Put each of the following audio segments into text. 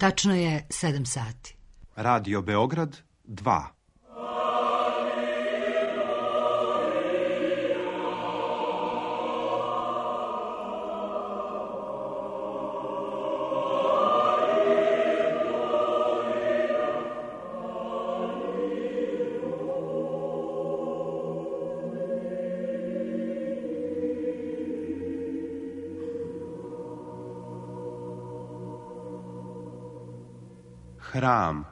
Tačno je 7 sati. Radio Beograd 2. Hram.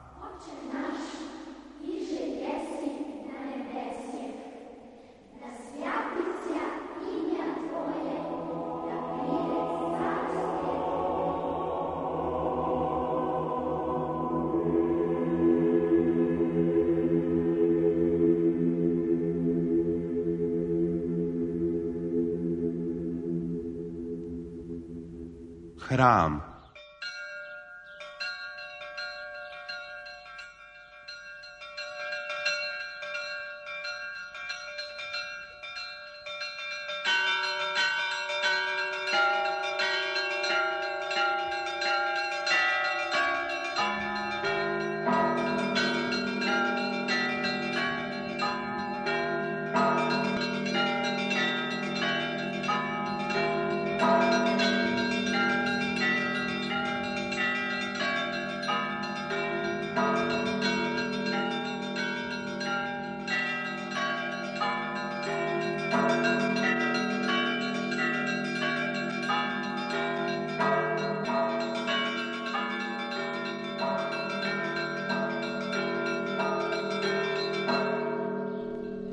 Hram.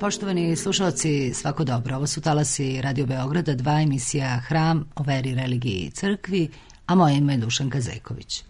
Poštovani slušalci, svako dobro. Ovo su talasi Radio Beograda 2, emisija Hram o veri, religiji i crkvi, a moje ime je Dušanka Zajković.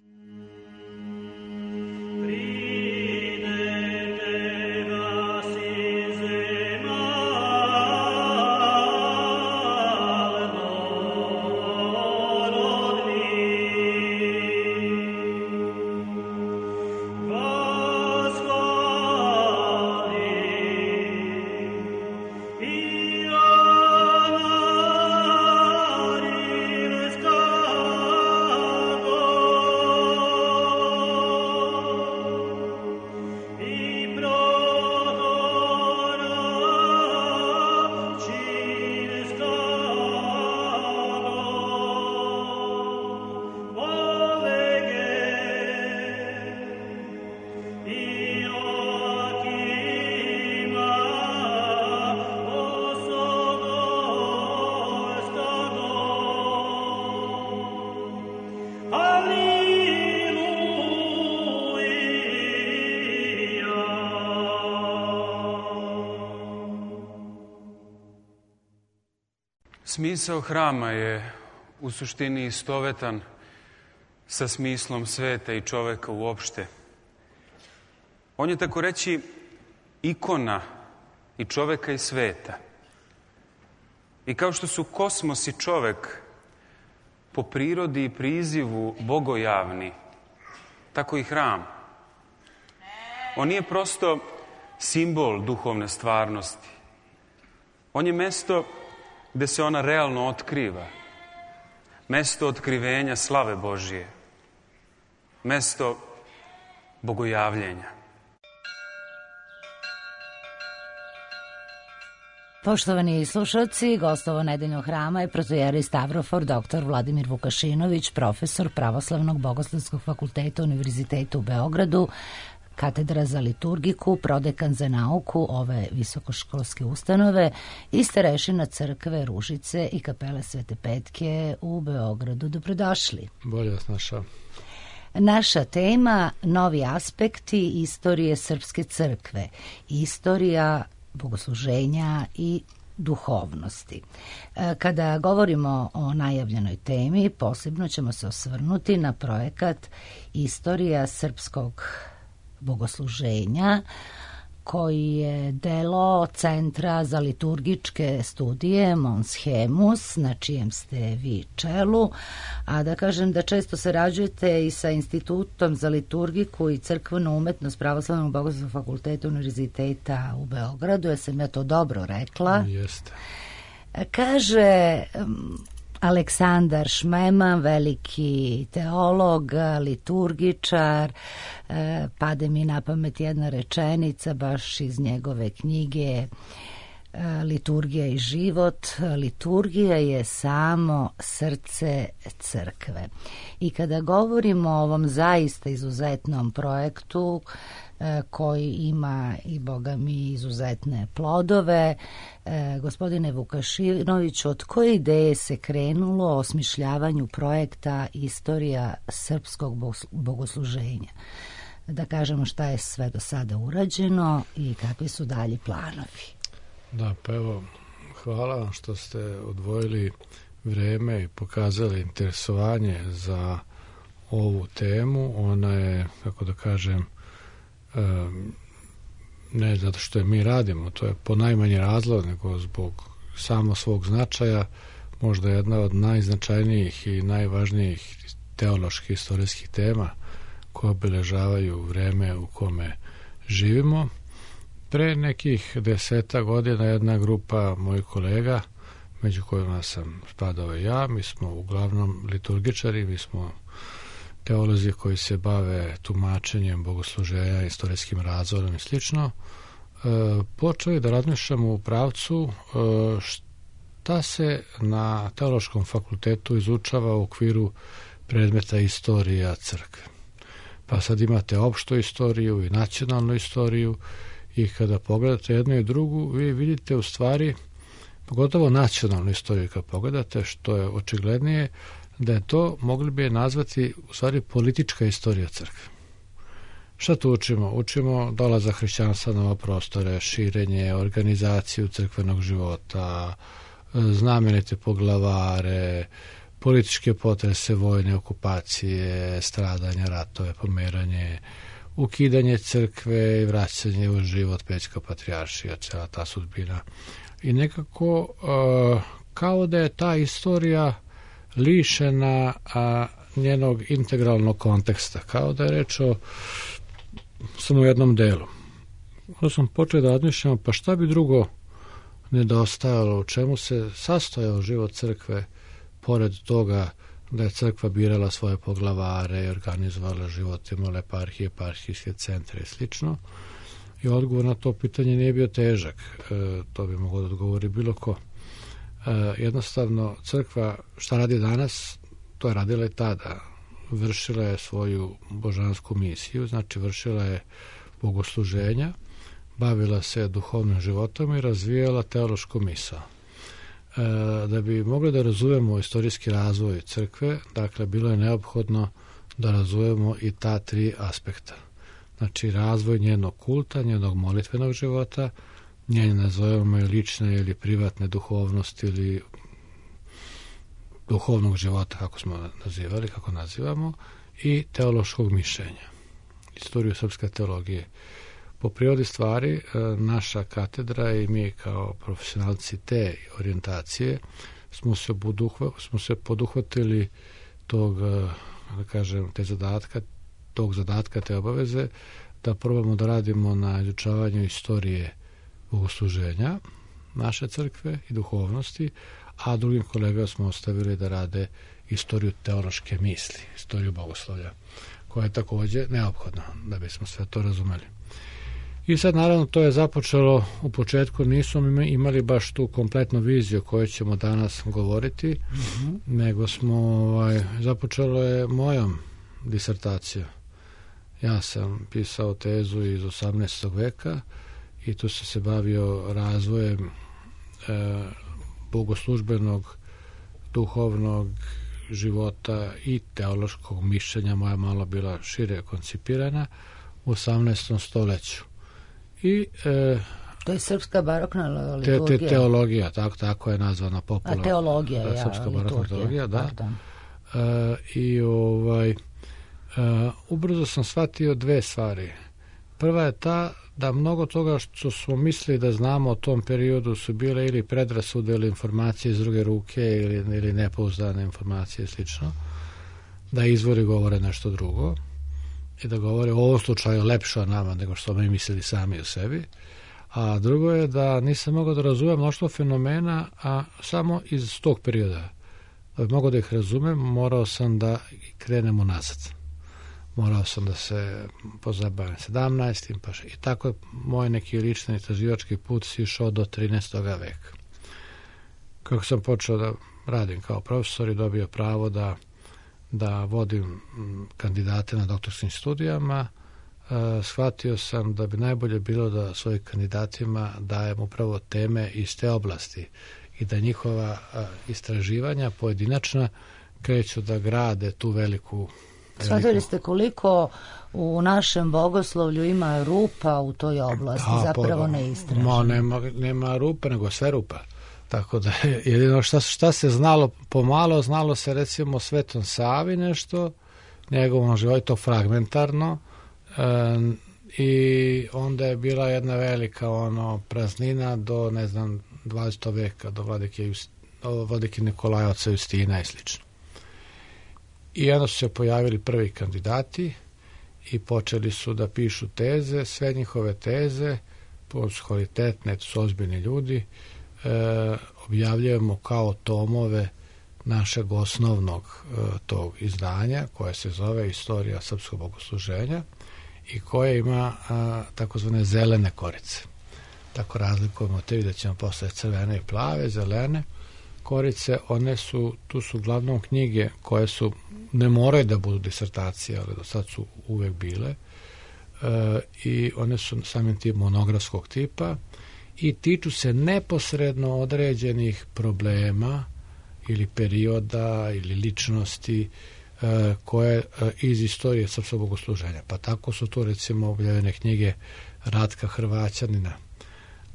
Smisao hrama je u suštini istovetan sa smislom sveta i čoveka uopšte. On je, tako reći, ikona i čoveka i sveta. I kao što su kosmos i čovek po prirodi i prizivu bogojavni, tako i hram. On nije prosto simbol duhovne stvarnosti. On je mesto gde se ona realno otkriva. Mesto otkrivenja slave Božije. Mesto bogojavljenja. Poštovani slušalci, gostovo nedeljnog hrama je protojeri Stavrofor dr. Vladimir Vukašinović, profesor Pravoslavnog bogoslovskog fakulteta Univerziteta u Beogradu, katedra za liturgiku, prodekan za nauku ove visokoškolske ustanove i starešina crkve Ružice i kapele Svete Petke u Beogradu. Dobrodošli. Bolje vas našao. Naša tema, novi aspekti istorije Srpske crkve, istorija bogosluženja i duhovnosti. Kada govorimo o najavljenoj temi, posebno ćemo se osvrnuti na projekat Istorija srpskog bogosluženja, koji je delo Centra za liturgičke studije Mons Hemus, na čijem ste vi čelu, a da kažem da često sarađujete i sa Institutom za liturgiku i crkvenu umetnost Pravoslavnog bogoslovskog fakulteta Univerziteta u Beogradu, ja sam ja to dobro rekla. Jeste. Kaže, Aleksandar Šmeman, veliki teolog, liturgičar, pade mi na pamet jedna rečenica baš iz njegove knjige Liturgija i život. Liturgija je samo srce crkve. I kada govorimo o ovom zaista izuzetnom projektu koji ima i boga mi izuzetne plodove, gospodine Vukašinoviću, od koje ideje se krenulo o osmišljavanju projekta Istorija srpskog bogosluženja? Da kažemo šta je sve do sada urađeno i kakvi su dalji planovi. Da, pa evo, hvala vam što ste odvojili vreme i pokazali interesovanje za ovu temu. Ona je, kako da kažem, ne zato što je mi radimo, to je po najmanji razlog, nego zbog samo svog značaja, možda jedna od najznačajnijih i najvažnijih teoloških istorijskih tema koje obilježavaju vreme u kome živimo. Pre nekih 10 godina jedna grupa mojih kolega, među kojima sam spadao i ja, mi smo uglavnom liturgičari, mi smo teolozi koji se bave tumačenjem bogosluženja, istorijskim razvojem i slično, počeli da razmišljamo u pravcu šta se na teološkom fakultetu izučava u okviru predmeta istorija crkve. Pa sad imate opštu istoriju i nacionalnu istoriju i kada pogledate jednu i drugu, vi vidite u stvari, pogotovo nacionalnu istoriju kad pogledate, što je očiglednije, da je to, mogli bi je nazvati, u stvari politička istorija crkve. Šta tu učimo? Učimo dolazak hrišćanstva na ove prostore, širenje, organizaciju crkvenog života, znamenite poglavare, političke potrese, vojne okupacije, stradanja, ratove, pomeranje, ukidanje crkve i vraćanje u život Pećka patrijaršija, cela ta sudbina. I nekako kao da je ta istorija lišena njenog integralnog konteksta, kao da je reč o samo jednom delu. Onda sam počeo da razmišljam, pa šta bi drugo nedostajalo, u čemu se sastojao život crkve, pored toga da je crkva birala svoje poglavare i organizovala život, imala eparhije, eparhijske centre i slično. I odgovor na to pitanje nije bio težak. To bi moglo da odgovori bilo ko. Jednostavno, crkva šta radi danas, to je radila i tada. Vršila je svoju božansku misiju, znači vršila je bogosluženja, bavila se duhovnim životom i razvijala teološku misao. Da bi mogli da razumemo istorijski razvoj crkve, dakle, bilo je neophodno da razumemo i ta 3 aspekta. Znači, razvoj njenog kulta, njenog molitvenog života, njene, nazovemo je, lične ili privatne duhovnosti ili duhovnog života, kako smo nazivali, kako nazivamo, i teološkog mišljenja. Istoriju srpske teologije. Po prirodi stvari, naša katedra i mi kao profesionalci te orijentacije smo se poduhvatili tog, da kažem, tog zadatka, te obaveze, da probamo da radimo na izučavanju istorije bogosluženja naše crkve i duhovnosti, a drugim kolegama smo ostavili da rade istoriju teološke misli, istoriju bogoslovlja, koja je također neophodna da bismo sve to razumeli. I sad, naravno, to je započelo u početku, nismo imali baš tu kompletnu viziju o kojoj ćemo danas govoriti, nego smo, započelo je mojom disertacijom. Ja sam pisao tezu iz 18. veka i tu sam se bavio razvojem bogoslužbenog, duhovnog života i teološkog mišljenja. Moja malo bila šire koncipirana u 18. stoljeću. I to je srpska barokna liturgija. Teologija, tako je nazvana popularno. A teologija, srpska barokna teologija, da. I ubrzo sam shvatio 2 stvari. Prva je ta da mnogo toga što smo mislili da znamo o tom periodu su bile ili predrasude ili informacije iz druge ruke ili nepouzdane informacije i slično. Da izvori govore nešto drugo i da govore u ovom slučaju lepše o nama nego što mi mislili sami o sebi. A drugo je da nisam mogao da razumem mnoštvo fenomena, a samo iz tog perioda. Da bi mogao da ih razumem, morao sam da krenemo nazad. Morao sam da se pozabavim 17. Pa i tako je moj neki lični istraživački put išao do 13. veka. Kako sam počeo da radim kao profesor i dobio pravo da vodim kandidate na doktorskim studijama, shvatio sam da bi najbolje bilo da svojim kandidatima dajem upravo teme iz te oblasti i da njihova istraživanja pojedinačna kreću da grade tu veliku... Shvatili ste koliko u našem bogoslovlju ima rupa u toj oblasti, zapravo neistraženo. Nema rupa, nego sve rupa. Tako da jedino šta se znalo pomalo, znalo se recimo Svetom Savi nešto, njegovom životu fragmentarno, i onda je bila jedna velika praznina do, 20. veka, do vladike Nikolaja, oca Justina i slično. I onda su se pojavili prvi kandidati i počeli su da pišu teze, sve njihove teze, su kvalitetne, su ozbiljni ljudi, objavljujemo kao tomove našeg osnovnog tog izdanja, koje se zove Istorija srpskog bogosluženja i koje ima takozvane zelene korice. Tako razlikujemo te, vidjet ćemo posle crvene i plave, zelene korice, tu su uglavnom knjige koje su, ne moraju da budu disertacije, ali do sad su uvek bile, i one su samim tim monografskog tipa i tiču se neposredno određenih problema ili perioda ili ličnosti koje iz istorije srpskog bogosluženja. Pa tako su to recimo objavljene knjige Ratka Hrvaćanina,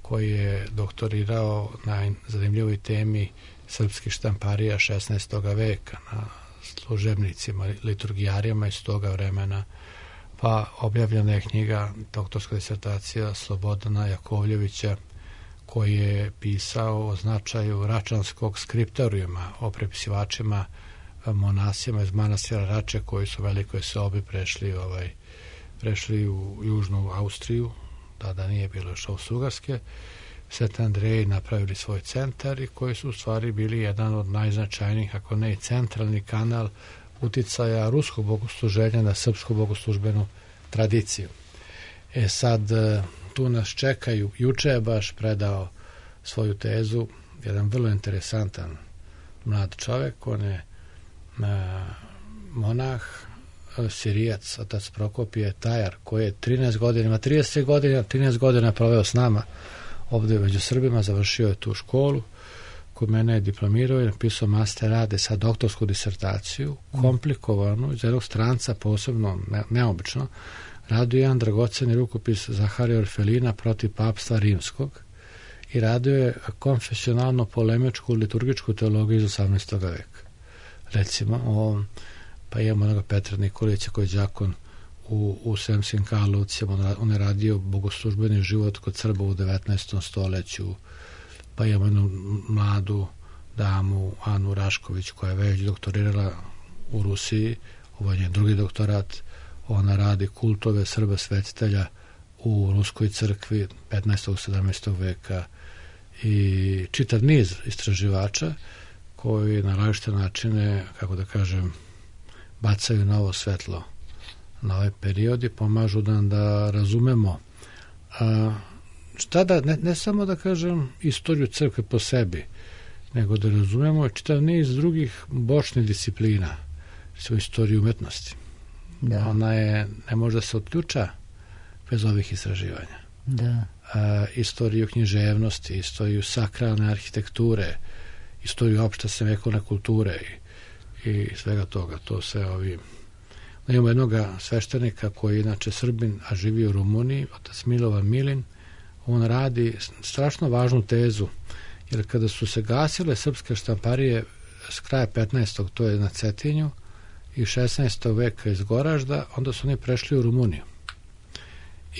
koji je doktorirao na zanimljivoj temi srpskih štamparija 16. veka na služebnicima, liturgijarijama iz toga vremena. Pa objavljena je knjiga, doktorska disertacija Slobodana Jakovljevića, koji je pisao o značaju račanskog skriptorijuma, o prepisivačima, monasima iz manastira Rače, koji su u velikoj sobi prešli u južnu Austriju, tada nije bilo još Austro-Ugarske, Sveti Andreji napravili svoj centar i koji su u stvari bili jedan od najznačajnijih, ako ne i centralni kanal uticaja ruskog bogosluženja na srpsku bogoslužbenu tradiciju. Sad, tu nas čekaju, juče je baš predao svoju tezu jedan vrlo interesantan mlad čovek, on je monah, Sirijac, otac Prokopije Tajar, koji je 13 godina proveo s nama ovde među Srbima, završio je tu školu, kod mene je diplomirao i napisao master rade sa doktorsku disertaciju, komplikovanu, iz jednog stranca posebno neobično, radio jedan dragoceni rukopis Zaharija Orfelina protiv papstva rimskog i radio je konfesionalno polemičku liturgičku teologiju iz 18. veka. Recimo, pa imamo onoga Petra Nikolića koji je đakon u Sremskim Karlovcima, on je radio bogoslužbeni život kod Srba u 19. stoleću, pa imamo jednu mladu damu Anu Rašković koja je već doktorirala u Rusiji, ovo je njen drugi doktorat, ona radi kultove Srba svetitelja u Ruskoj crkvi 15. 17. veka i čitav niz istraživača koji na različite načine, kako da kažem, bacaju novo svetlo na ovaj period i pomažu nam da razumemo ne samo da kažem istoriju crkve po sebi, nego da razumemo čitav niz drugih bočnih disciplina, svoju istoriju umetnosti. Da. Ona ne može da se otključa bez ovih istraživanja. Da. Istoriju književnosti, istoriju sakralne arhitekture, istoriju opšte srednjovekovne kulture i svega toga. To se imamo jednog sveštenika koji je inače Srbin, a živi u Rumuniji, otac Milovan Milin. On radi strašno važnu tezu, jer kada su se gasile srpske štamparije s kraja 15. to je na Cetinju i 16. veka iz Goražda, onda su oni prešli u Rumuniju.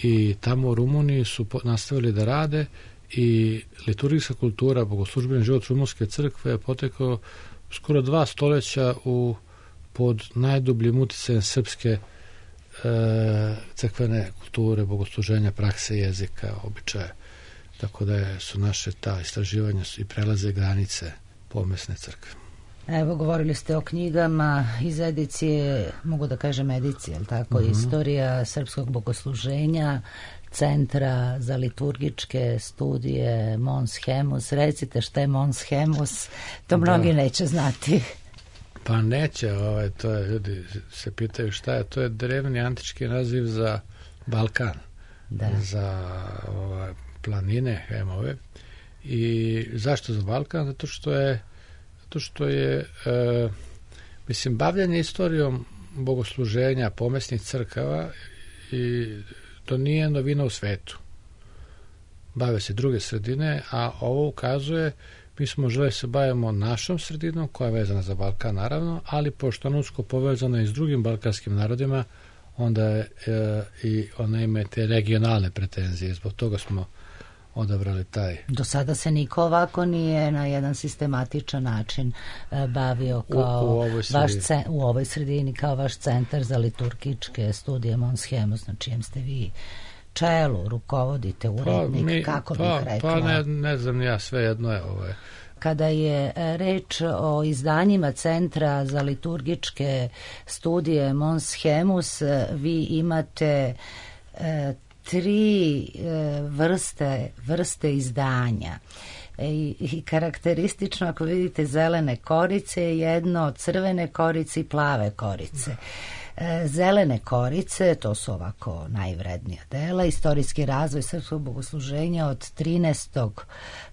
I tamo u Rumuniji su nastavili da rade i liturgijska kultura, bogoslužbeni život rumunske crkve je potekao skoro 2 stoljeća pod najdubljim uticajem srpske crkvene kulture, bogosluženja, prakse, jezika, običaja. Tako da su naše ta istraživanja i prelaze granice pomesne crkve. Evo, govorili ste o knjigama iz edicije, mogu da kažem edicije, ali tako, Istorija srpskog bogosluženja, Centra za liturgičke studije Mons Hemus. Recite šta je Mons Hemus, to mnogi neće znati. Pa neće, to je, ljudi se pitaju šta je, to je drevni antički naziv za Balkan, za planine, Hemove. I zašto za Balkan? Zato što je mislim, bavljanje istorijom bogosluženja pomesnih crkava i to nije novina u svetu. Bave se druge sredine, a ovo ukazuje, mi smo želeli se bavimo našom sredinom, koja je vezana za Balkan, naravno, ali pošto je usko povezana i s drugim balkanskim narodima, onda i ona ima te regionalne pretenzije. Zbog toga smo odabrali taj. Do sada se niko ovako nije na jedan sistematičan način bavio kao u ovoj sredini, kao vaš Centar za liturgičke studije Mons Hemus, na čijem ste vi čelu, rukovodite, urednik, kako bih rekla? Pa ne znam ja, sve jedno je Kada je reč o izdanjima Centra za liturgičke studije Mons Hemus, vi imate 3 vrste izdanja. I karakteristično, ako vidite, zelene korice, jedno crvene korice i plave korice. Zelene korice, to su ovako najvrednija dela, istorijski razvoj srpskog bogosluženja od 13.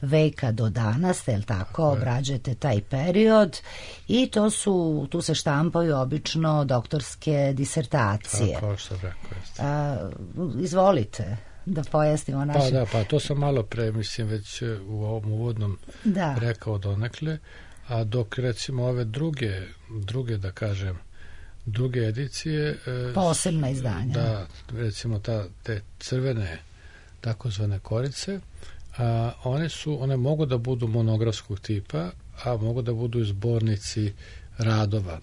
veka do danas, je li tako, obrađujete taj period i tu se štampaju obično doktorske disertacije. Tako što rekao. Izvolite da pojasnimo naše... Pa to sam malo pre, mislim, već u ovom uvodnom rekao donekle, a dok recimo ove druge da kažem, druge edicije... Posebna izdanja. Da, recimo te crvene takozvane korice, one mogu da budu monografskog tipa, a mogu da budu i zbornici radova.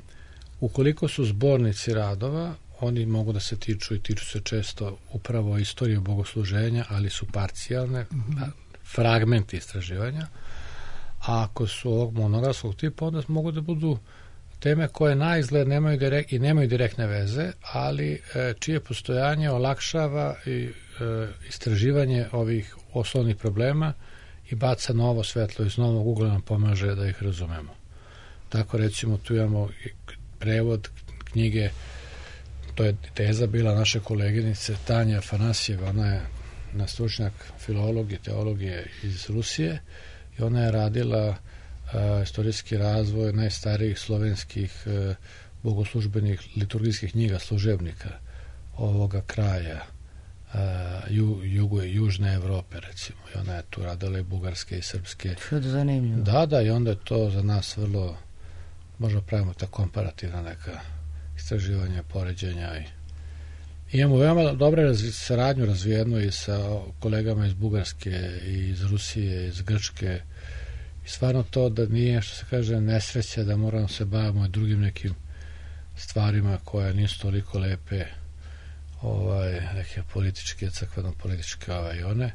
Ukoliko su zbornici radova, oni mogu da se tiču se često upravo istorije bogosluženja, ali su parcijalne, fragmenti istraživanja. A ako su ovog monografskog tipa, onda mogu da budu teme koje na izgled nemaju direktne veze, ali čije postojanje olakšava i istraživanje ovih osnovnih problema i baca novo svetlo iz novog ugla, nam pomaže da ih razumemo. Tako recimo tu imamo prevod knjige, to je teza bila naše koleginice Tanja Afanasijeva, ona je stručnjak filologije, teologije iz Rusije i ona je radila istorijski razvoj najstarijih slovenskih bogoslužbenih liturgijskih knjiga služebnika ovoga kraja južne Evrope, recimo. I ona je tu radila i bugarske i srpske. Što je zanimljivo. Da, i onda je to za nas vrlo, možda pravimo ta komparativna neka istraživanja, poređenja i imamo veoma dobre saradnju razvijenu i sa kolegama iz Bugarske i iz Rusije, iz Grčke. Stvarno to da nije, što se kaže, nesreća da moramo se bavimo i drugim nekim stvarima koje nisu toliko lepe, neke političke, crkveno-političke i one.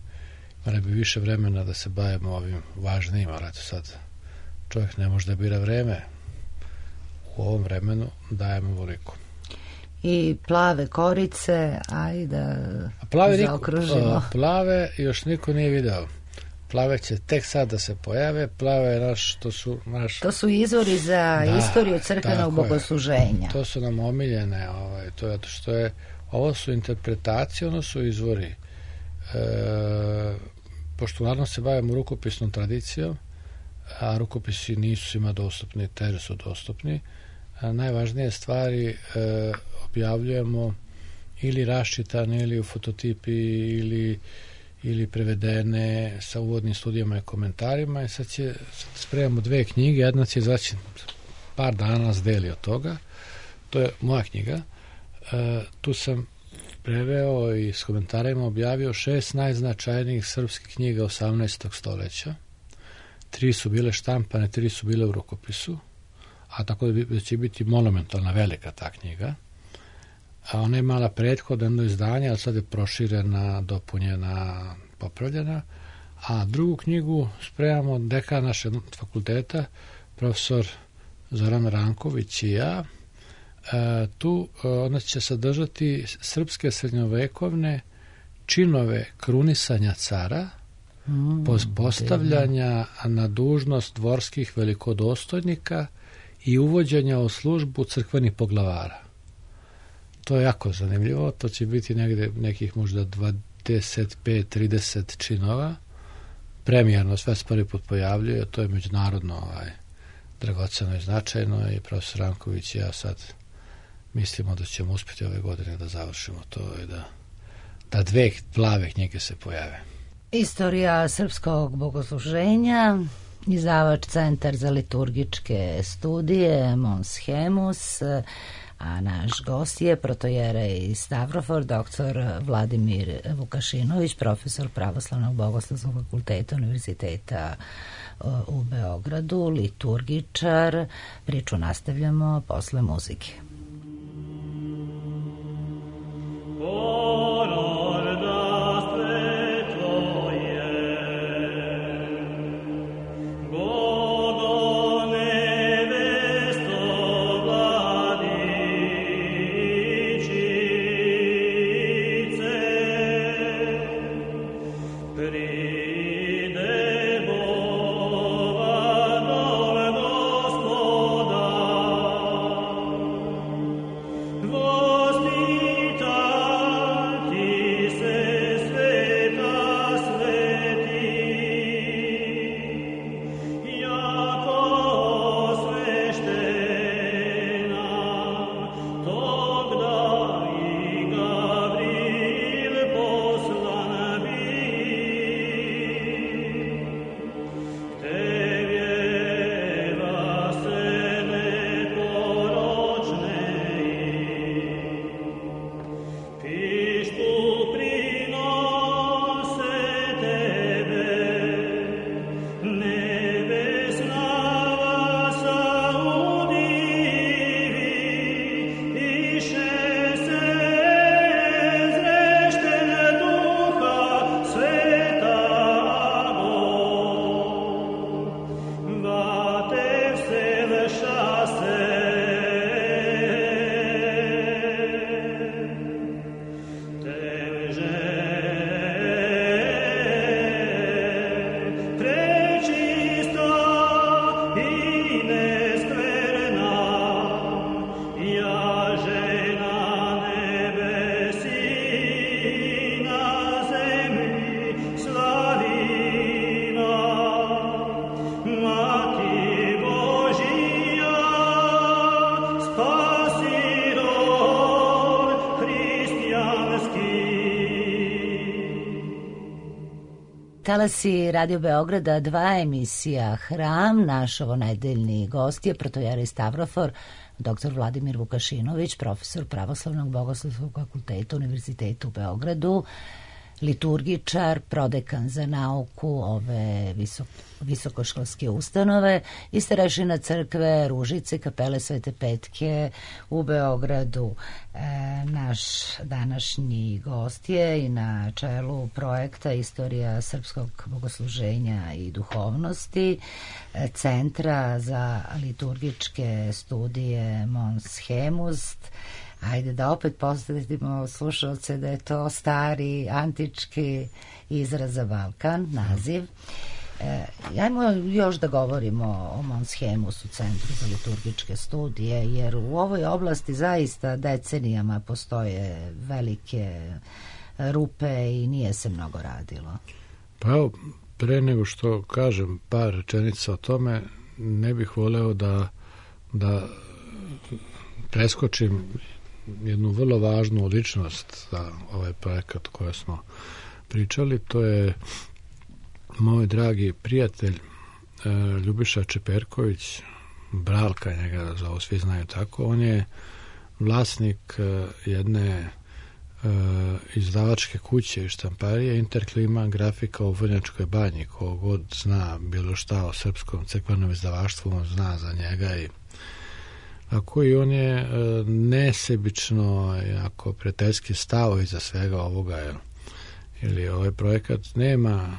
Mora bi više vremena da se bavimo ovim važnijim, ali eto sad čovjek ne može da bira vreme. U ovom vremenu dajemo voliko. I plave korice, ajde zaokružimo. Plave još niko nije video. Plave će tek sad da se pojave. Plave je to su izvori za istoriju crkvenog bogosluženja. To su nam omiljene. Ovo su interpretacije, ono su izvori. Pošto uglavnom se bavimo rukopisnom tradicijom, a rukopisi nisu svima dostupni, teže su dostupni, najvažnije stvari objavljujemo ili raščitane ili u fototipi ili prevedene sa uvodnim studijama i komentarima i sad spremamo 2 knjige, jedna će izaći par dana nas deli od toga, to je moja knjiga, tu sam preveo i s komentarima objavio 6 najznačajnijih srpskih knjiga 18. stoljeća, 3 su bile štampane, 3 su bile u rukopisu, a tako da će biti monumentalna velika ta knjiga, a ona je imala prethodno jedno izdanje, ali sad je proširena, dopunjena, popravljena, a drugu knjigu spremamo dekan našeg fakulteta, profesor Zoran Ranković i ja. Tu ona će sadržati srpske srednjovekovne činove krunisanja cara, postavljanja na dužnost dvorskih velikodostojnika i uvođenja u službu crkvenih poglavara. To je jako zanimljivo, to će biti negde nekih možda 25-30 činova. Premijerno sve se prvi put pojavljuje, to je međunarodno dragoceno i značajno i profesor Ranković i ja sad mislimo da ćemo uspjeti ove godine da završimo to i da 2 plave knjige se pojave. Istorija srpskog bogosluženja, izdavač Centar za liturgičke studije Mons Hemus, a naš gost je protojerej Stavrofor, doktor Vladimir Vukašinović, profesor Pravoslavnog bogoslovskog fakulteta Univerziteta u Beogradu, liturgičar. Priču nastavljamo posle muzike. Talasi Radio Beograda 2, emisija Hram. Naš ovonedeljni gost je protojerej Stavrofor, dr. Vladimir Vukašinović, profesor Pravoslavnog bogoslovskog fakulteta Univerziteta u Beogradu, liturgičar, prodekan za nauku ove visokoškolske ustanove i starešina crkve Ružice, kapele Svete Petke u Beogradu. Naš današnji gost je i na čelu projekta Istorija srpskog bogosluženja i duhovnosti, Centra za liturgičke studije Mons Hemus. Ajde da opet postavimo slušalce da je to stari, antički izraz za Balkan, naziv. Ajmo još da govorimo o Mons Hemusu, Centru za liturgičke studije, jer u ovoj oblasti zaista decenijama postoje velike rupe i nije se mnogo radilo. Pa evo, pre nego što kažem par rečenica o tome, ne bih voleo da preskočim jednu vrlo važnu ličnost za ovaj projekat o kojoj smo pričali. To je moj dragi prijatelj Ljubiša Čeperković, Bralka njega zovu, svi znaju tako. On je vlasnik jedne izdavačke kuće i štamparije Interklima grafika u Vrnjačkoj Banji. Ko god zna bilo šta o srpskom crkvenom izdavaštvu, on zna za njega i ako i on je nesebično jako prijateljski stao iza svega ovoga, ili ovaj projekat nema,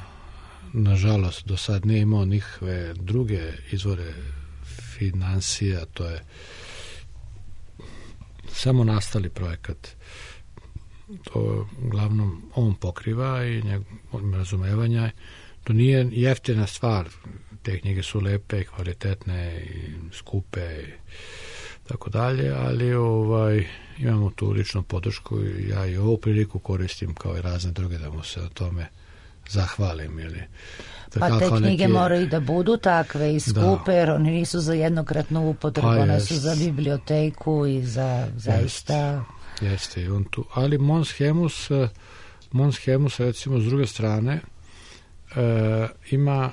nažalost do sad nije imao nikakve druge izvore financija, to je samo nastali projekat. To uglavnom on pokriva i njegovom razumevanja. To nije jeftina stvar. Te knjige su lepe, kvalitetne i skupe i tako dalje, ali imamo tu ličnu podršku i ja i ovu priliku koristim kao i razne druge da mu se o tome zahvalim. Pa te knjige moraju da budu takve i skupe, jer oni nisu za jednokratnu upotrebu, one su za biblioteku i za zaista... Jeste i on tu. Ali Mons Hemus recimo s druge strane ima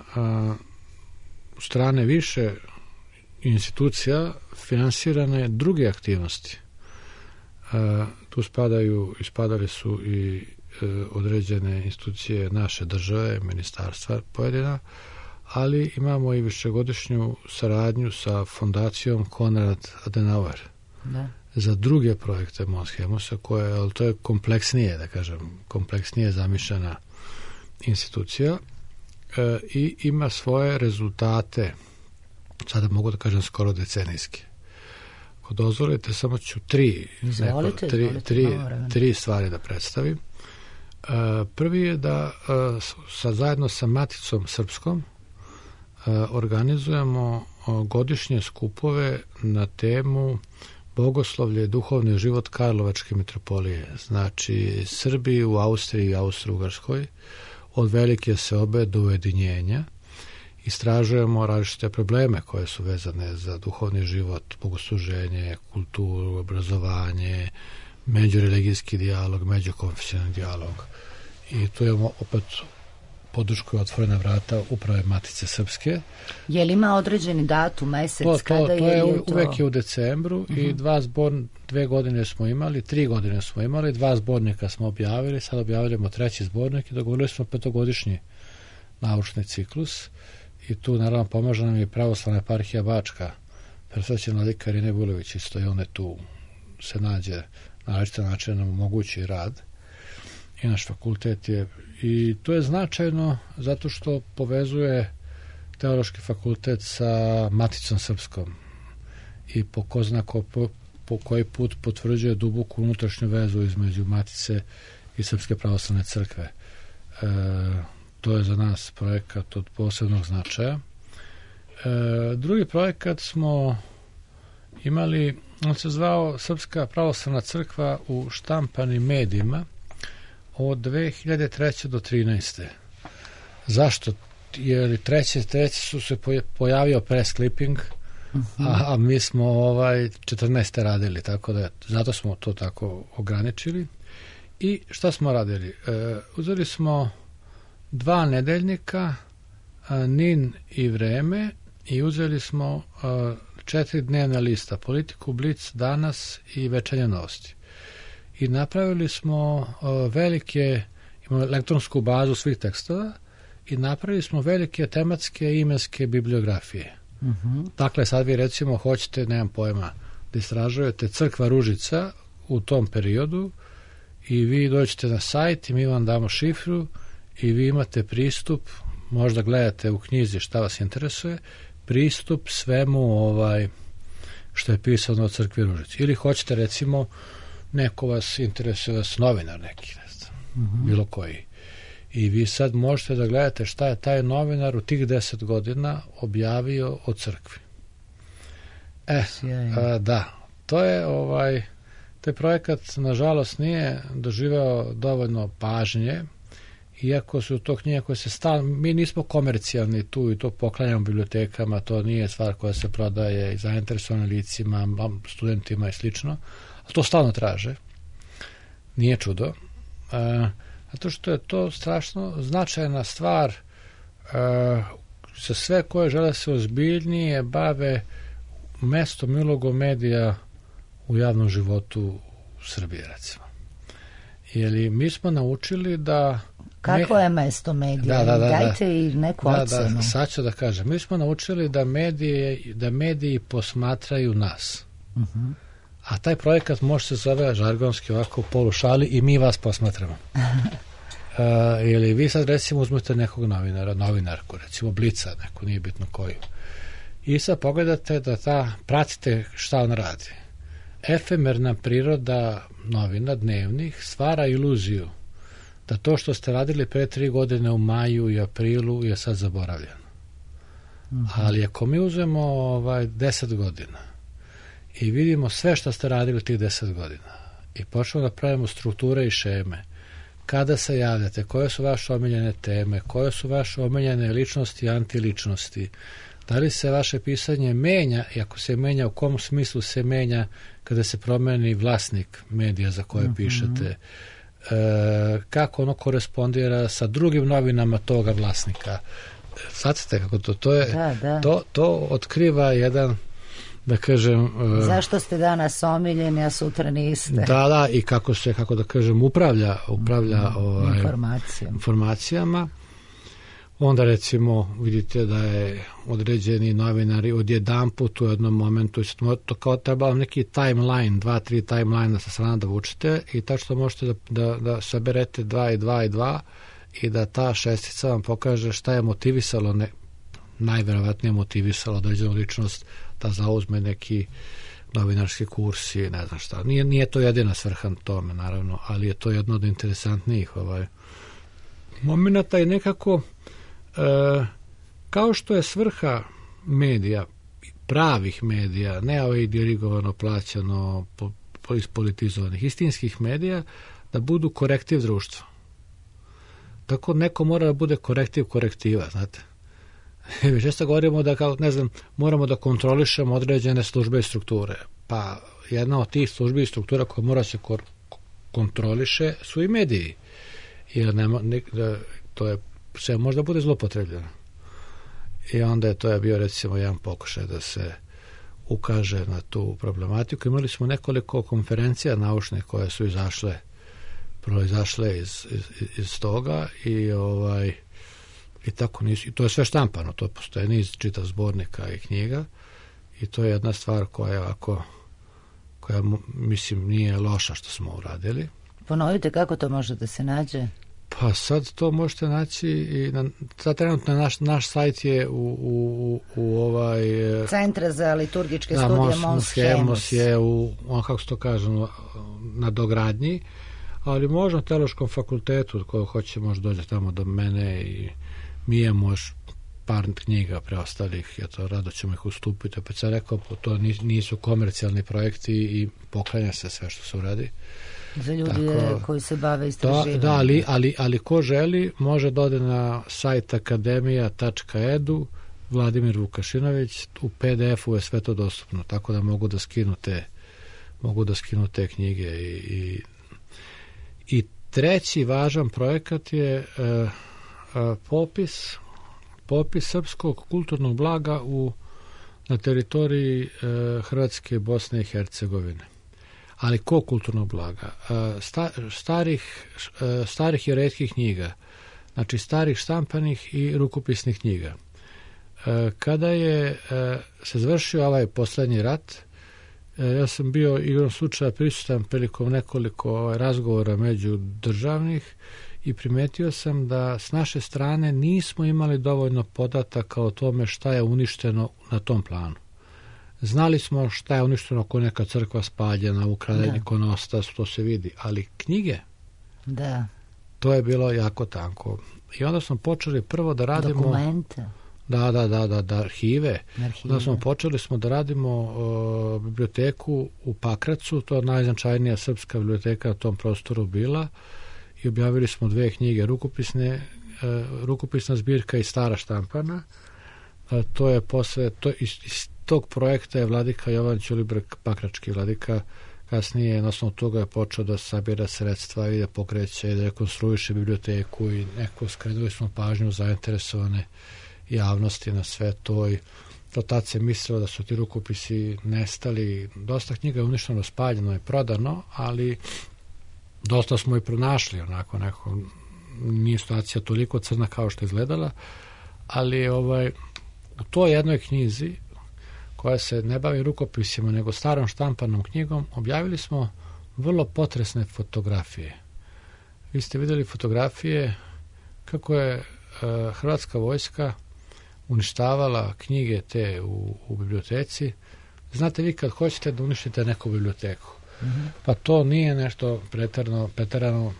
strane više institucija finansirane druge aktivnosti. Tu ispadali su i određene institucije naše države, ministarstva pojedina, ali imamo i višegodišnju saradnju sa fondacijom Konrad Adenauer za druge projekte Mons Hemusa, ali to je kompleksnije, da kažem, kompleksnije zamišljena institucija i ima svoje rezultate, sada mogu da kažem skoro decenijski. Ako dozvolite, samo ću tri stvari da predstavim. Prvi je da zajedno sa Maticom Srpskom organizujemo godišnje skupove na temu bogoslovlje, duhovni život Karlovačke mitropolije. Znači, Srbiji u Austriji i Austro-Ugarskoj od velike seobe do ujedinjenja. Istražujemo različite probleme koje su vezane za duhovni život, bogosluženje, kulturu, obrazovanje, međureligijski dijalog, međukonfesionalni dijalog. I tu imamo opet podršku Otvorena vrata Uprave Matice Srpske. Je li ima određeni datum, mesec, kada to je uvek je u decembru i 2 godine smo imali, 3 godine smo imali, 2 zbornika smo objavili, sad objavljamo 3. zbornik i dogovorili smo 5-godišnji naučni ciklus i tu naravno pomaže nam i Pravoslavna eparhija Bačka, presvećen vladika Irine Vulović, isto i one tu se nađe na različite načine nam omogući rad i naš fakultet je, i to je značajno zato što povezuje Teološki fakultet sa Maticom Srpskom i po koji put potvrđuje duboku unutrašnju vezu između Matice i Srpske pravoslavne crkve. To je za nas projekat od posebnog značaja. Drugi projekat smo imali, on se zvao Srpska pravoslavna crkva u štampanim medijima od 2003. do 2013. Zašto? Jer treći su se pojavio press clipping, a mi smo 14. radili, tako da zato smo to tako ograničili. I šta smo radili? Uzeli smo 2 nedeljnika, NIN i Vreme, i uzeli smo 4 dnevna lista, Politiku, Blic, Danas i Večernje novosti. I napravili smo imamo elektronsku bazu svih tekstova i napravili smo velike tematske imenske bibliografije. Dakle, sad vi recimo hoćete, nemam pojma, da istražujete Crkva Ružica u tom periodu i vi dođete na sajt i mi vam damo šifru i vi imate pristup, možda gledate u knjizi šta vas interesuje, pristup svemu što je pisano o Crkvi Ružici. Ili hoćete recimo, neko vas interesuje, novinar neki, ne znam, bilo koji. I vi sad možete da gledate šta je taj novinar u tih 10 godina objavio o crkvi. Da, to je taj projekat nažalost nije doživeo dovoljno pažnje, iako su to knjige koje se mi nismo komercijalni tu i to poklanjamo bibliotekama, to nije stvar koja se prodaje i zainteresovanim licima, studentima i slično, a to stalno traže. Nije čudo. Zato što je to strašno značajna stvar za sve koje žele se ozbiljnije bave mestom i ulogom medija u javnom životu u Srbiji, recimo. Jer mi smo naučili da... Kako je mesto medija? Dajte i neku ocenu. Da, sad ću da kažem. Mi smo naučili da mediji posmatraju nas. A taj projekat može se zove žargonski ovako u polušali i mi vas posmatramo. Ili vi sad recimo uzmete nekog novinarku, recimo Blica, neko, nije bitno koju. i sad pogledate da pratite šta on radi. Efemerna priroda novina dnevnih stvara iluziju da to što ste radili pre 3 godine u maju i aprilu je sad zaboravljeno. Ali ako mi uzmemo 10 godina i vidimo sve što ste radili tih 10 godina i počnemo da pravimo strukture i šeme, kada se javljate, koje su vaše omiljene teme, koje su vaše omiljene ličnosti i antiličnosti, da li se vaše pisanje menja i ako se menja, u kom smislu se menja kada se promeni vlasnik medija za koje pišete, kako ono korespondira sa drugim novinama toga vlasnika. Shvatite kako to je, to otkriva jedan, da kažem... Zašto ste danas omiljeni, a sutra niste? Da, i kako se, kako da kažem, upravlja informacijama. Onda recimo vidite da je određeni novinari odjedanput u jednom momentu, to kao treba neki timeline, 2-3 timeline sa strana da vučete i tačno možete da saberete 2 i 2 i 2 i da ta šestica vam pokaže šta je motivisalo, najverovatnije motivisalo određenu ličnost da zauzme neki novinarski kurs i ne znam šta. Nije to jedina svrha tome, naravno, ali je to jedno od interesantnijih momenata i nekako kao što je svrha medija, pravih medija, ne dirigovano, plaćano, ispolitizovanih, istinskih medija, da budu korektiv društva. Tako neko mora da bude korektiv korektiva, znate. Često govorimo da, kao, ne znam, moramo da kontrolišemo određene službe i strukture. Pa jedna od tih službi i struktura koja mora se kontroliše su i mediji. Jer to je sve možda bude zlopotrebljeno. I onda to je bio recimo jedan pokušaj da se ukaže na tu problematiku. Imali smo nekoliko konferencija naučnih koje su proizašle iz toga i tako nisu. I to je sve štampano, to postoje niz čitav zbornika i knjiga i to je jedna stvar koja mislim nije loša što smo uradili. Ponovite kako to može da se nađe? Pa sad to možete naći i sad trenutno naš sajt je u Centra za liturgičke studije Mons Haemus je kako se to kaže, na dogradnji, ali možda na Teološkom fakultetu ko hoće može dođe tamo do mene i mi imamo još par knjiga preostalih, rado ćemo ih ustupiti. Opet sam rekao, to nisu komercijalni projekti i poklanja se sve što se uradi. Za ljudi koji se bave istraživanjem. Da, ali ko želi može da ode na sajt akademija.edu, Vladimir Vukašinović, u PDF-u je sve to dostupno, tako da mogu da skinu te knjige. I treći važan projekat je popis srpskog kulturnog blaga na teritoriji Hrvatske, Bosne i Hercegovine. Ali ko kulturnog blaga? Starih i retkih knjiga, znači starih štampanih i rukopisnih knjiga. Kada je se završio ovaj poslednji rat, ja sam bio igrom slučaja prisutan prilikom nekoliko razgovora međudržavnih i primetio sam da s naše strane nismo imali dovoljno podataka o tome šta je uništeno na tom planu. Znali smo šta je uništeno ako neka crkva spaljena, ukraden ikonostas, to se vidi, ali knjige, to je bilo jako tanko. I onda smo počeli prvo da radimo... Dokumente. Da, arhive. Onda smo počeli da radimo biblioteku u Pakracu, to je najznačajnija srpska biblioteka na tom prostoru bila, i objavili smo 2 knjige, rukopisna zbirka i stara štampana. To je posle, iz tog projekta je vladika Jovan Ćulibrk, pakrački vladika, kasnije na osnovu toga je počeo da sabira sredstva i da pokreće i da rekonstruiše biblioteku i skrenuli smo pažnju zainteresovane javnosti na sve to i do tad se mislilo da su ti rukopisi nestali. Dosta knjiga je uništeno, spaljeno i prodano, ali dosta smo i pronašli, onako nije situacija toliko crna kao što je izgledala, ali u toj jednoj knjizi koja se ne bavi rukopisima nego starom štampanom knjigom, objavili smo vrlo potresne fotografije. Vi ste vidjeli fotografije kako je Hrvatska vojska uništavala knjige te u biblioteci. Znate vi kad hoćete da uništite neku biblioteku, pa to nije nešto preterano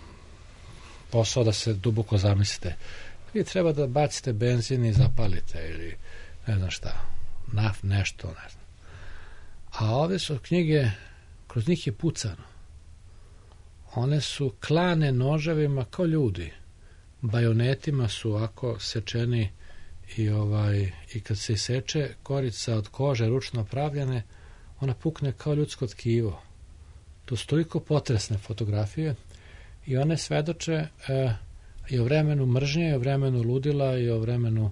posao da se duboko zamislite. Vi treba da bacite benzin i zapalite ili ne znam šta, nešto, ne znam. A ovdje su knjige, kroz njih je pucano. One su klane noževima kao ljudi. Bajonetima su ovako sečeni i kad se seče korica od kože ručno pravljene, ona pukne kao ljudsko tkivo. To su toliko potresne fotografije i one svedoče i o vremenu mržnje, i o vremenu ludila, i o vremenu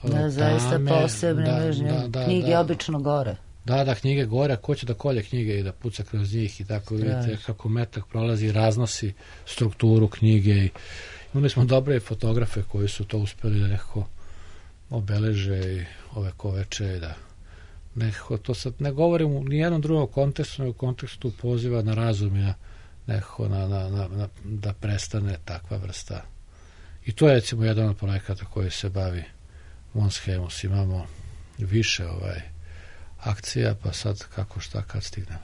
tame. Zaista posebne mržnje. Knjige obično gore. Da, knjige gore, a ko će da kolje knjige i da puca kroz njih i tako vidite kako metak prolazi i raznosi strukturu knjige. I imali smo dobre fotografe koji su to uspeli da nekako obeleže i ovekoveče i da nekako to sad ne govorim u nijednom drugom kontekstu, nego u kontekstu poziva na razum i nekako da prestane takva vrsta. I to je recimo jedan od projekata koji se bavi Mons Hemus. Imamo više akcija, pa sad kako šta kad stignemo.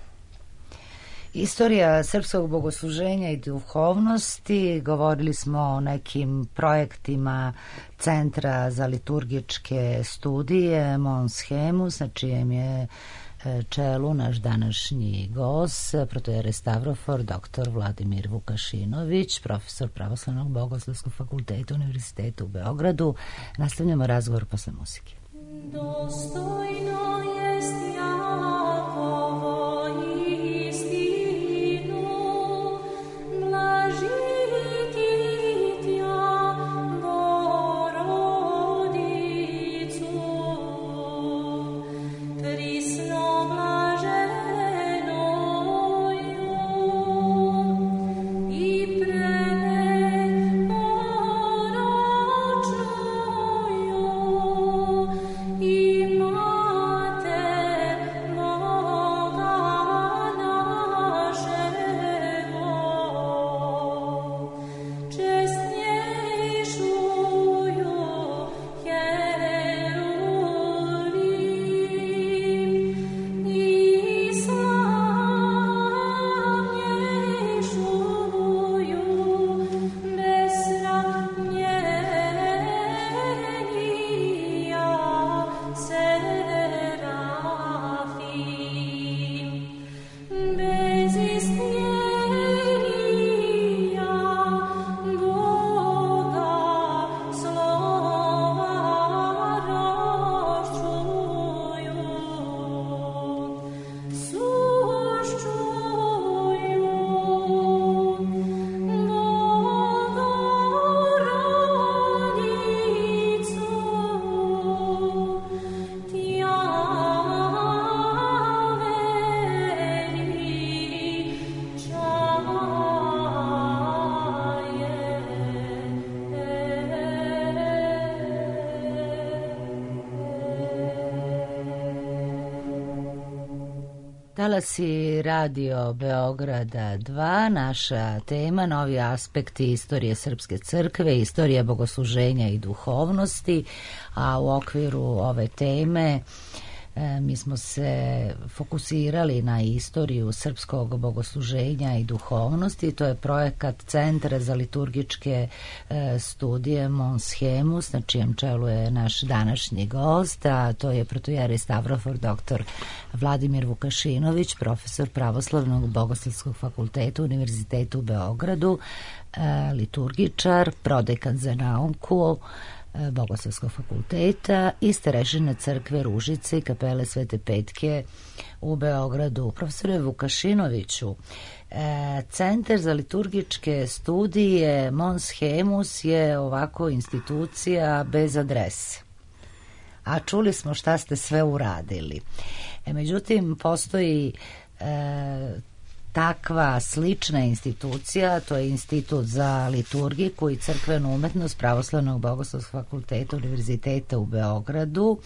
Istorija srpskog bogosluženja i duhovnosti, govorili smo o nekim projektima Centra za liturgičke studije Mons Hemus, na čijem je čelu naš današnji gost, protojerej Stavrofor, dr. Vladimir Vukašinović, profesor Pravoslavnog bogoslovskog fakulteta Univerziteta u Beogradu. Nastavljamo razgovor posle muzike. Dostojno jest Jakovo istinu, blažiti tja Borodicu, prisno blaženoju i preneporočnoju i Mater Boga našego, čestnjejšuju Jerulim i slavnjejšuju besramljenija Serafim, bez istnjenija Boga slova roščuju, suščuju Bogorodicu, tja Talasi Radio Beograda 2, naša tema, novi aspekti istorije Srpske crkve, istorija bogosluženja i duhovnosti, a u okviru ove teme mi smo se fokusirali na istoriju srpskog bogosluženja i duhovnosti. To je projekat Centra za liturgičke studije Mons Hemus, na čijem čelu je naš današnji gost, a to je protojerej Stavrofor, dr. Vladimir Vukašinović, profesor Pravoslavnog bogoslovskog fakulteta Univerziteta u Beogradu, liturgičar, prodekan za nauku Bogoslovskog fakulteta i starešina crkve Ružice i kapele Svete Petke u Beogradu. Profesore Vukašinoviću, Centar za liturgičke studije Mons Hemus je ovako institucija bez adrese. A čuli smo šta ste sve uradili. Međutim, postoji takva slična institucija, to je Institut za liturgiku i crkvenu umetnost Pravoslavnog bogoslovskog fakulteta Univerziteta u Beogradu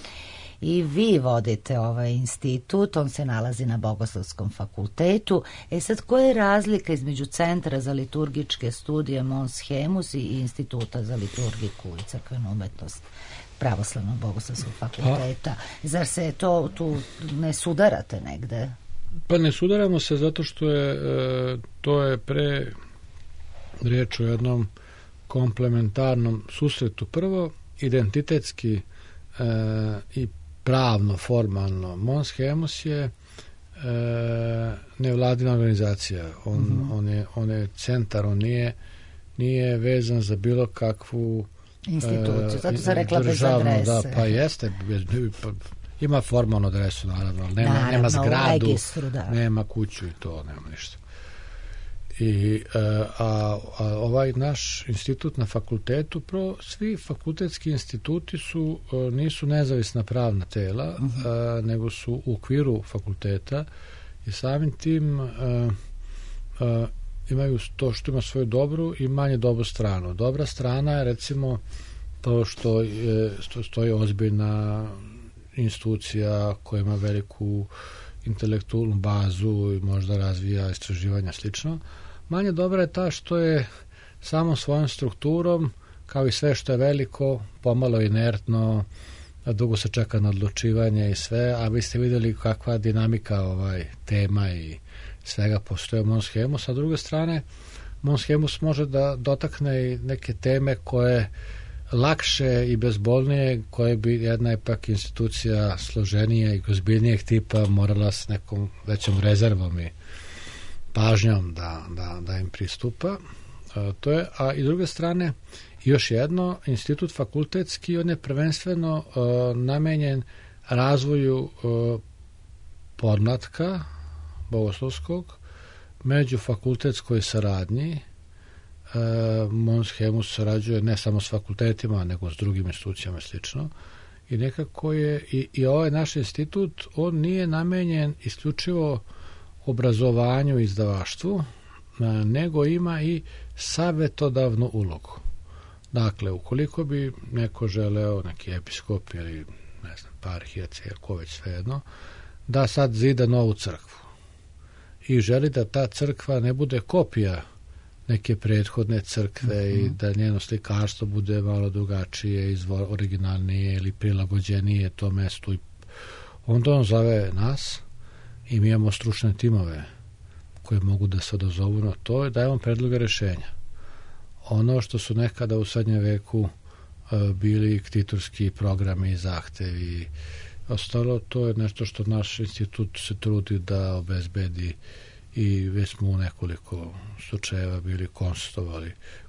i vi vodite ovaj institut, on se nalazi na Bogoslovskom fakultetu. Sad, koja je razlika između Centra za liturgičke studije Mons Hemus i Instituta za liturgiku i crkvenu umetnost Pravoslavnog bogoslovskog fakulteta. Zar se to tu ne sudarate negde? Pa ne sudaramo se zato što je to je pre riječ o jednom komplementarnom susretu. Prvo, identitetski i pravno, formalno. Mons Haemus je nevladina organizacija. On je centar, on nije vezan za bilo kakvu instituciju. Zato sam rekla bez adrese. Da, pa jeste. Ima formalnu adresu, naravno, ali nema zgradu, registru, nema kuću i to, nema ništa. A ovaj naš institut na fakultetu, svi fakultetski instituti nisu nezavisna pravna tela, nego su u okviru fakulteta i samim tim imaju to što ima svoju dobru i manje dobru stranu. Dobra strana je recimo to što stoji ozbiljna institucija koja ima veliku intelektualnu bazu i možda razvija istraživanja slično. Manje dobra je ta što je samo svojom strukturom, kao i sve što je veliko, pomalo inertno, dugo se čeka na odlučivanje i sve, a vi ste vidjeli kakva dinamika tema i svega postoje Mons Haemus. A s druge strane, Mons Haemus može da dotakne i neke teme koje lakše i bezbolnije, koje bi jedna ipak institucija složenije i ozbiljnijeg tipa morala s nekom većom rezervom i pažnjom da im pristupa. To je, a i s druge strane, još jedno, institut fakultetski, on je prvenstveno namenjen razvoju podmlatka bogoslovskog, među fakultetskoj saradnji. Mons Haemus sarađuje ne samo s fakultetima, nego s drugim institucijama i slično. I nekako je i ovaj naš institut, on nije namenjen isključivo obrazovanju i izdavaštvu, nego ima i savjetodavnu ulogu. Dakle, ukoliko bi neko želeo, neki episkop ili ne znam, parhijac, ko već svejedno, da sad zida novu crkvu i želi da ta crkva ne bude kopija neke prethodne crkve i da njeno slikarstvo bude malo drugačije, originalnije ili prilagođenije tom mestu, onda on zove nas i mi imamo stručne timove koje mogu da se odazovu na to i dajemo predloge rješenja. Ono što su nekada u srednjem veku bili ktitorski programi i zahtevi i ostalo, to je nešto što naš institut se trudi da obezbedi i već smo u nekoliko slučajeva bili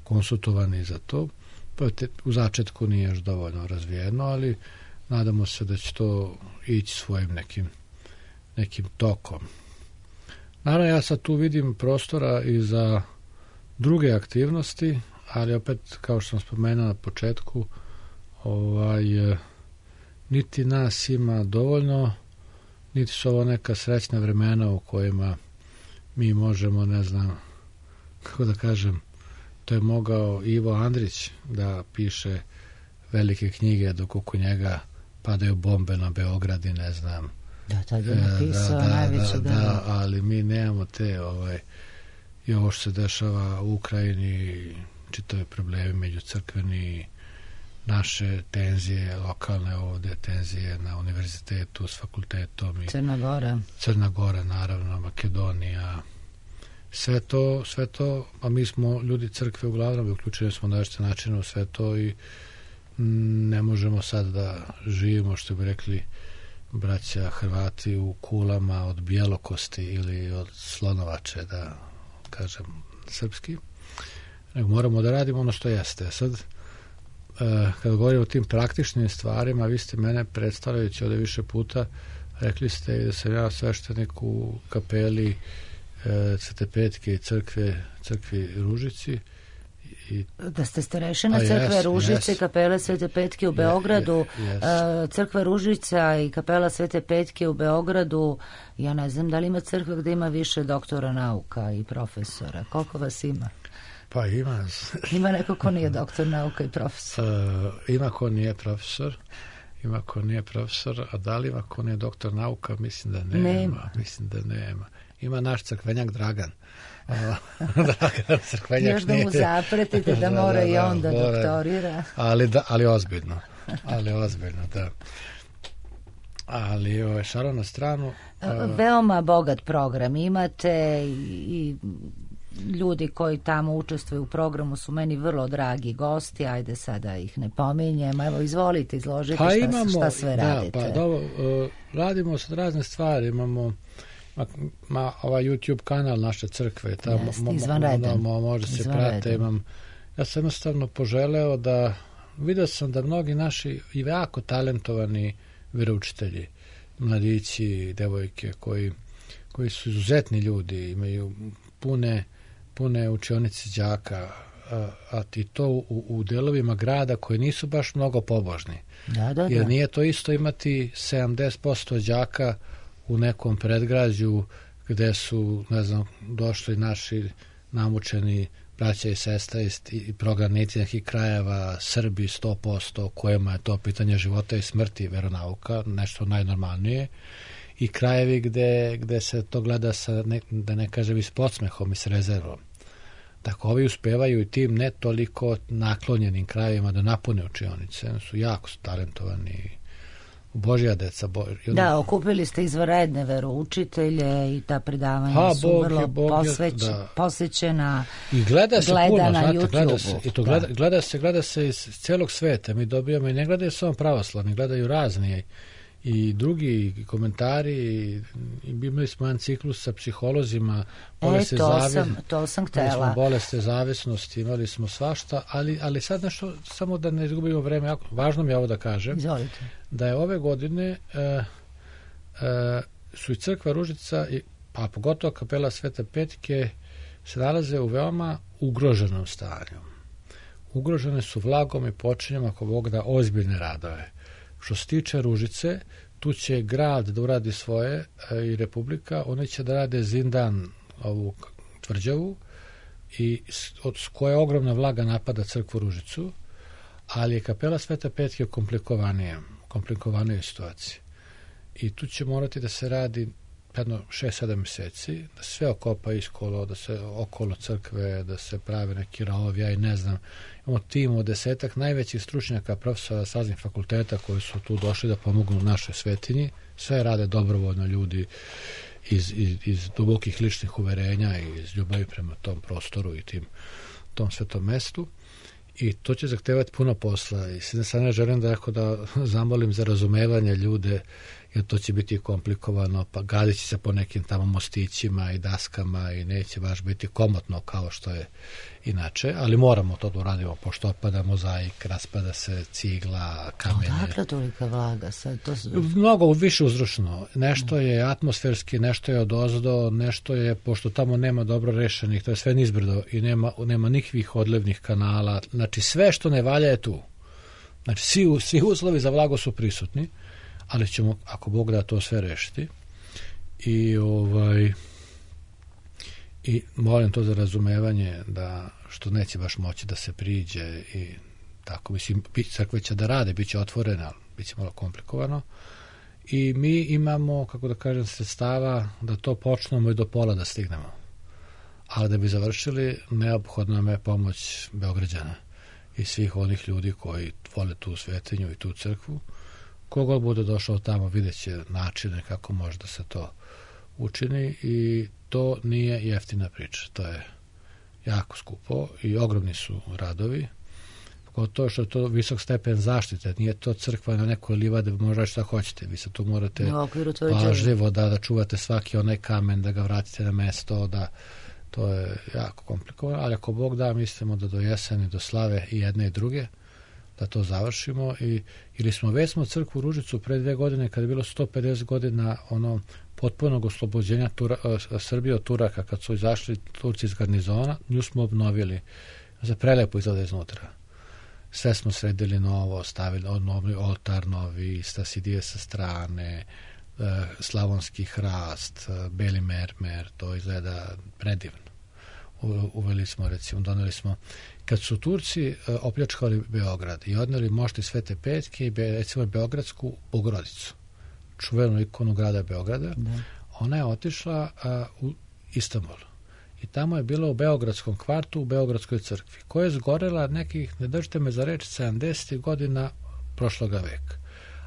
konsultovani za to. U začetku nije još dovoljno razvijeno, ali nadamo se da će to ići svojim nekim tokom. Naravno, ja sad tu vidim prostora i za druge aktivnosti, ali opet, kao što sam spomenuo na početku, niti nas ima dovoljno, niti su ovo neka srećna vremena u kojima mi možemo, ne znam, kako da kažem, to je mogao Ivo Andrić da piše velike knjige dok oko njega padaju bombe na Beograd i ne znam. Da, tad je napisao najveće delo. Ali mi nemamo te i ovo što se dešava u Ukrajini, čitave problemi među crkveni, naše tenzije lokalne ovdje, tenzije na univerzitetu s fakultetom i Crna Gora, naravno, Makedonija, sve to, a mi smo ljudi crkve uglavnom, uključili smo na različite načine u sve to i ne možemo sad da živimo, što bi rekli braća Hrvati, u kulama od bjelokosti ili od slonovače, da kažem srpski, nego moramo da radimo ono što jeste. Sad, kada govorimo o tim praktičnim stvarima, vi ste mene predstavljajući ovdje više puta, rekli ste da sam ja sveštenik u kapeli Svete Petke i crkvi Ružici. Da ste starešina crkve Ružice i kapele Svete Petke u Beogradu. Crkva Ružica i kapela Svete Petke u Beogradu, ja ne znam da li ima crkva gdje ima više doktora nauka i profesora. Koliko vas ima? Pa ima. Ima neko ko nije doktor nauka i profesor? Ima ko nije profesor, a da li ima ko nije doktor nauka? Mislim da nema. ima naš crkvenjak Dragan. Dragan crkvenjak. Još da mu zapretite da mora i on da doktorira. Ali ozbiljno. Da. Ali šalo na stranu. Veoma bogat program imate i ljudi koji tamo učestvuju u programu su meni vrlo dragi gosti, ajde sada ih ne pominjem, evo izvolite, izložite šta sve radite. Radimo sad razne stvari, imamo ovaj YouTube kanal naše crkve, tamo može se prate, ja sam jednostavno poželeo da, vidio sam da mnogi naši i jako talentovani veroučitelji, mladići, devojke koji su izuzetni ljudi, imaju pune učionice đaka, a i to u delovima grada koji nisu baš mnogo pobožni. Jer nije to isto imati 70% đaka u nekom predgrađu gde su, ne znam, došli naši namučeni braća i sestra i prognanici nekih krajeva, Srbi 100%, kojima je to pitanje života i smrti, veronauka, nešto najnormalnije, i krajevi gde se to gleda sa, da ne kažem, i s podsmehom i s rezervom. Tako ovi uspevaju i tim ne toliko naklonjenim krajevima da napune učionice, su jako talentovani, Božja deca. Da, okupili ste izvanredne veroučitelje i ta predavanja su vrlo posvećena, i gleda se gleda puno, na YouTube. Gleda se iz celog sveta. Mi dobijamo i ne gledaju samo pravoslavni, gledaju razni i drugi komentari, i imali smo jedan ciklus sa psiholozima, to sam htela. Bolesti zavisnosti, imali smo svašta, ali sad nešto, samo da ne izgubimo vreme, važno mi je ovo da kažem. Izvolite. Da je ove godine su i crkva Ružica, a pogotovo kapela Svete Petke, se nalaze u veoma ugroženom stanju. Ugrožene su vlagom i počinjem, ako Bog da, ozbiljne radove. Što se tiče Ružice, tu će grad da uradi svoje i Republika, oni će da rade zindan, ovu tvrđavu, i s koje ogromna vlaga napada crkvu Ružicu, ali je kapela Svete Petke u komplikovanijoj situaciji. I tu će morati da se radi jedno 6-7 meseci, da sve okopa iskolo, da se okolo crkve, da se prave neki rovovi, ja i ne znam. Imamo tim od 10 najvećih stručnjaka, profesora s raznih fakulteta koji su tu došli da pomognu našoj svetinji. Sve rade dobrovoljno ljudi iz dubokih ličnih uverenja i iz ljubavi prema tom prostoru i tom svetom mestu. I to će zahtevati puno posla. I s jedne strane želim da zamolim za razumevanje ljude, jer to će biti komplikovano, pa gadit će se po nekim tamo mostićima i daskama i neće baš biti komotno kao što je inače, ali moramo to da uradimo, pošto opada mozaik, raspada se cigla, kamenje. Odakle tolika vlaga sad? Mnogo više uzročno. Nešto je atmosferski, nešto je odozdo, nešto je, pošto tamo nema dobro rešenih, to je sve nizbrdo i nema nikakvih odlevnih kanala. Znači sve što ne valja je tu. Znači svi uslovi za vlago su prisutni, ali ćemo, ako Bog da, to sve rešiti. I molim to za razumevanje, da što neće baš moći da se priđe i tako, mislim, crkve će da rade, bit će otvorena, ali bit će malo komplikovano. I mi imamo, kako da kažem, sredstava da to počnemo i do pola da stignemo. Ali da bi završili, neophodna nam je pomoć Beograđana i svih onih ljudi koji vole tu svetinju i tu crkvu. Kogod bude došao tamo, vidjet će načine kako može da se to učini, i to nije jeftina priča. To je jako skupo i ogromni su radovi. Pogotovo što je to visok stepen zaštite. Nije to crkva na nekoj livadi, možda šta hoćete. Vi se tu morate pažljivo da čuvate svaki onaj kamen, da ga vratite na mesto, to je jako komplikovano, ali ako Bog da, mislimo da do jeseni, do slave i jedne i druge, da to završimo. Ili smo crkvu Ružicu pre 2 godine, kada je bilo 150 godina potpunog oslobođenja Srbije od Turaka, kad su izašli Turci iz garnizona, nju smo obnovili. Za prelepo izgleda iznutra. Sve smo sredili novo, stavili novi oltar, novi stasidije sa strane, slavonski hrast, beli mermer, to izgleda predivno. Uveli smo, recimo, doneli smo, kad su Turci opljačkali Beograd i odneli mošti Svete Petke i recimo Beogradsku Bogorodicu, čuvenu ikonu grada Beograda, ona je otišla u Istanbul. I tamo je bila u Beogradskom kvartu, u Beogradskoj crkvi, koja je zgorela nekih, ne držite me za reč, 70. godina prošloga veka.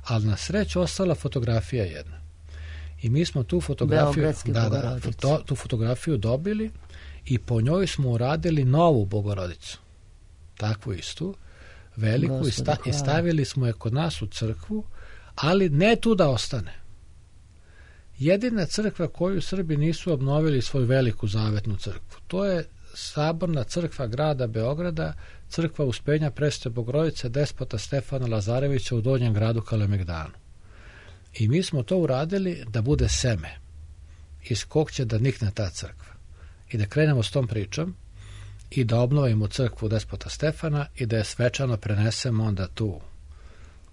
Ali na sreću ostala fotografija jedna. I mi smo tu fotografiju, tu fotografiju dobili i po njoj smo uradili novu Bogorodicu. Takvu istu, veliku, i stavili smo je kod nas u crkvu, ali ne tu da ostane. Jedina crkva koju Srbi nisu obnovili svoju veliku zavetnu crkvu, to je saborna crkva grada Beograda, crkva Uspenja Presvete Bogorodice despota Stefana Lazarevića u Donjem gradu Kalemegdanu. I mi smo to uradili da bude seme iz kog će da nikne ta crkva. I da krenemo s tom pričom i da obnovimo crkvu despota Stefana i da je svečano prenesemo onda tu.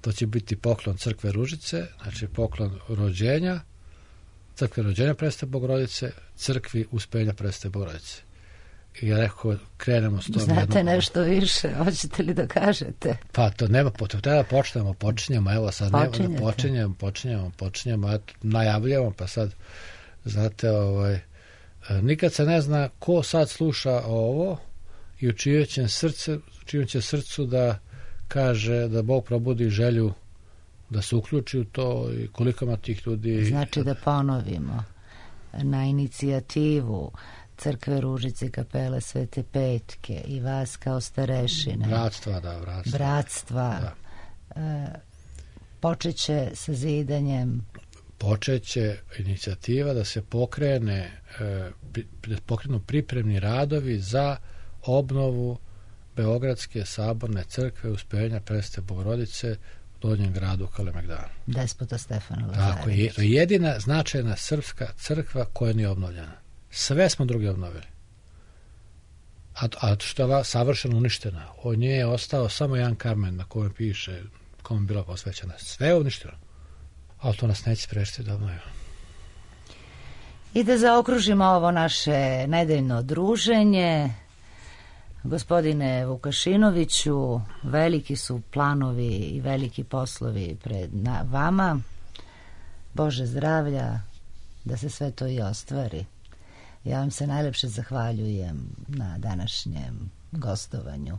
To će biti poklon crkve Ružice, znači poklon rođenja, crkve rođenja Presvete Bogorodice, crkvi Uspenja Presvete Bogorodice. I ja rekao, krenemo s tom. Znate nešto više, hoćete li da kažete? Pa to nema potrebe, treba da počinjemo, evo sad počinjemo, najavljamo, pa sad, znate, nikad se ne zna ko sad sluša ovo i u čijem će srcu da kaže da Bog probudi želju da se uključi u to i koliko ima tih ljudi. Znači da ponovimo na inicijativu Crkve Ružice, kapele Svete Petke i vas kao starešine. Bratstva. Počeće sa zidanjem. Počeće inicijativa da se pokrenu pripremni radovi za obnovu Beogradske saborne crkve Uspenja Presvete Bogorodice u Donjem gradu Kalemegdanu. Despota Stefana Lazarevića. Tako je, to je jedina značajna srpska crkva koja nije obnovljena. Sve smo drugi obnovili. A što je savršeno uništena. Od nje je ostao samo jedan kamen na kojem piše kome je bila posvećena. Sve je uništeno. Ali to nas neće sprečiti da obnovimo. I da zaokružimo ovo naše nedeljno druženje. Gospodine Vukašinoviću, veliki su planovi i veliki poslovi pred vama. Bože zdravlja, da se sve to i ostvari. Ja vam se najlepše zahvaljujem na današnjem gostovanju.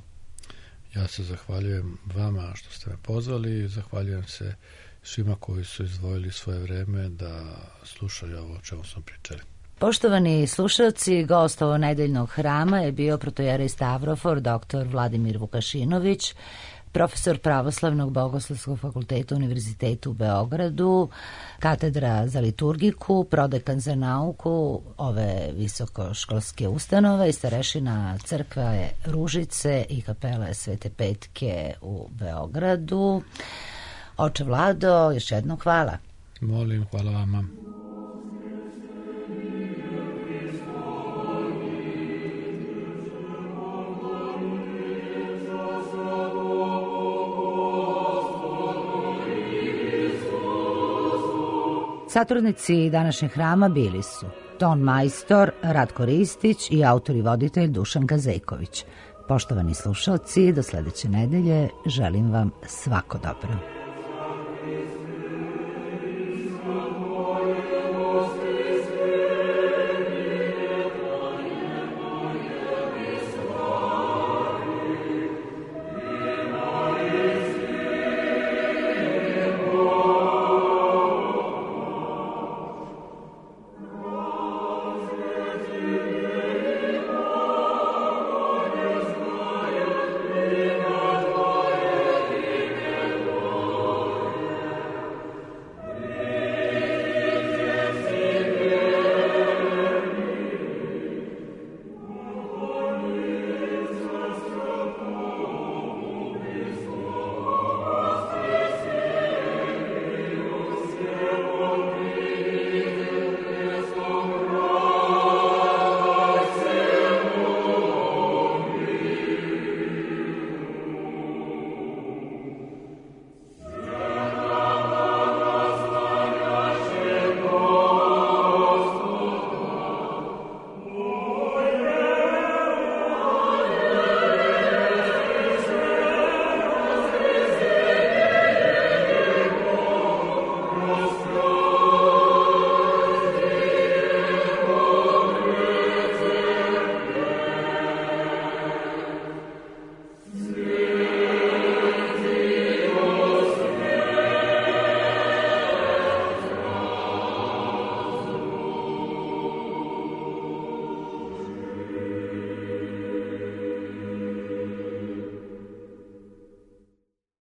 Ja se zahvaljujem vama što ste me pozvali i zahvaljujem se svima koji su izdvojili svoje vreme da slušaju ovo o čemu smo pričali. Poštovani slušalci, gost ovog nedeljnog hrama je bio protojerej Stavrofor, dr. Vladimir Vukašinović, profesor Pravoslavnog bogoslovskog fakulteta Univerziteta u Beogradu, katedra za liturgiku, prodekan za nauku ove visokoškolske ustanove i starešina crkve Ružice i kapele Svete Petke u Beogradu. Oče Vlado, još jednom hvala. Molim, hvala vama. Satrudnici današnjeg hrama bili su ton majstor Ratko Ristić i autor i voditelj Dušan Gazejković. Poštovani slušalci, do sledeće nedelje želim vam svako dobro.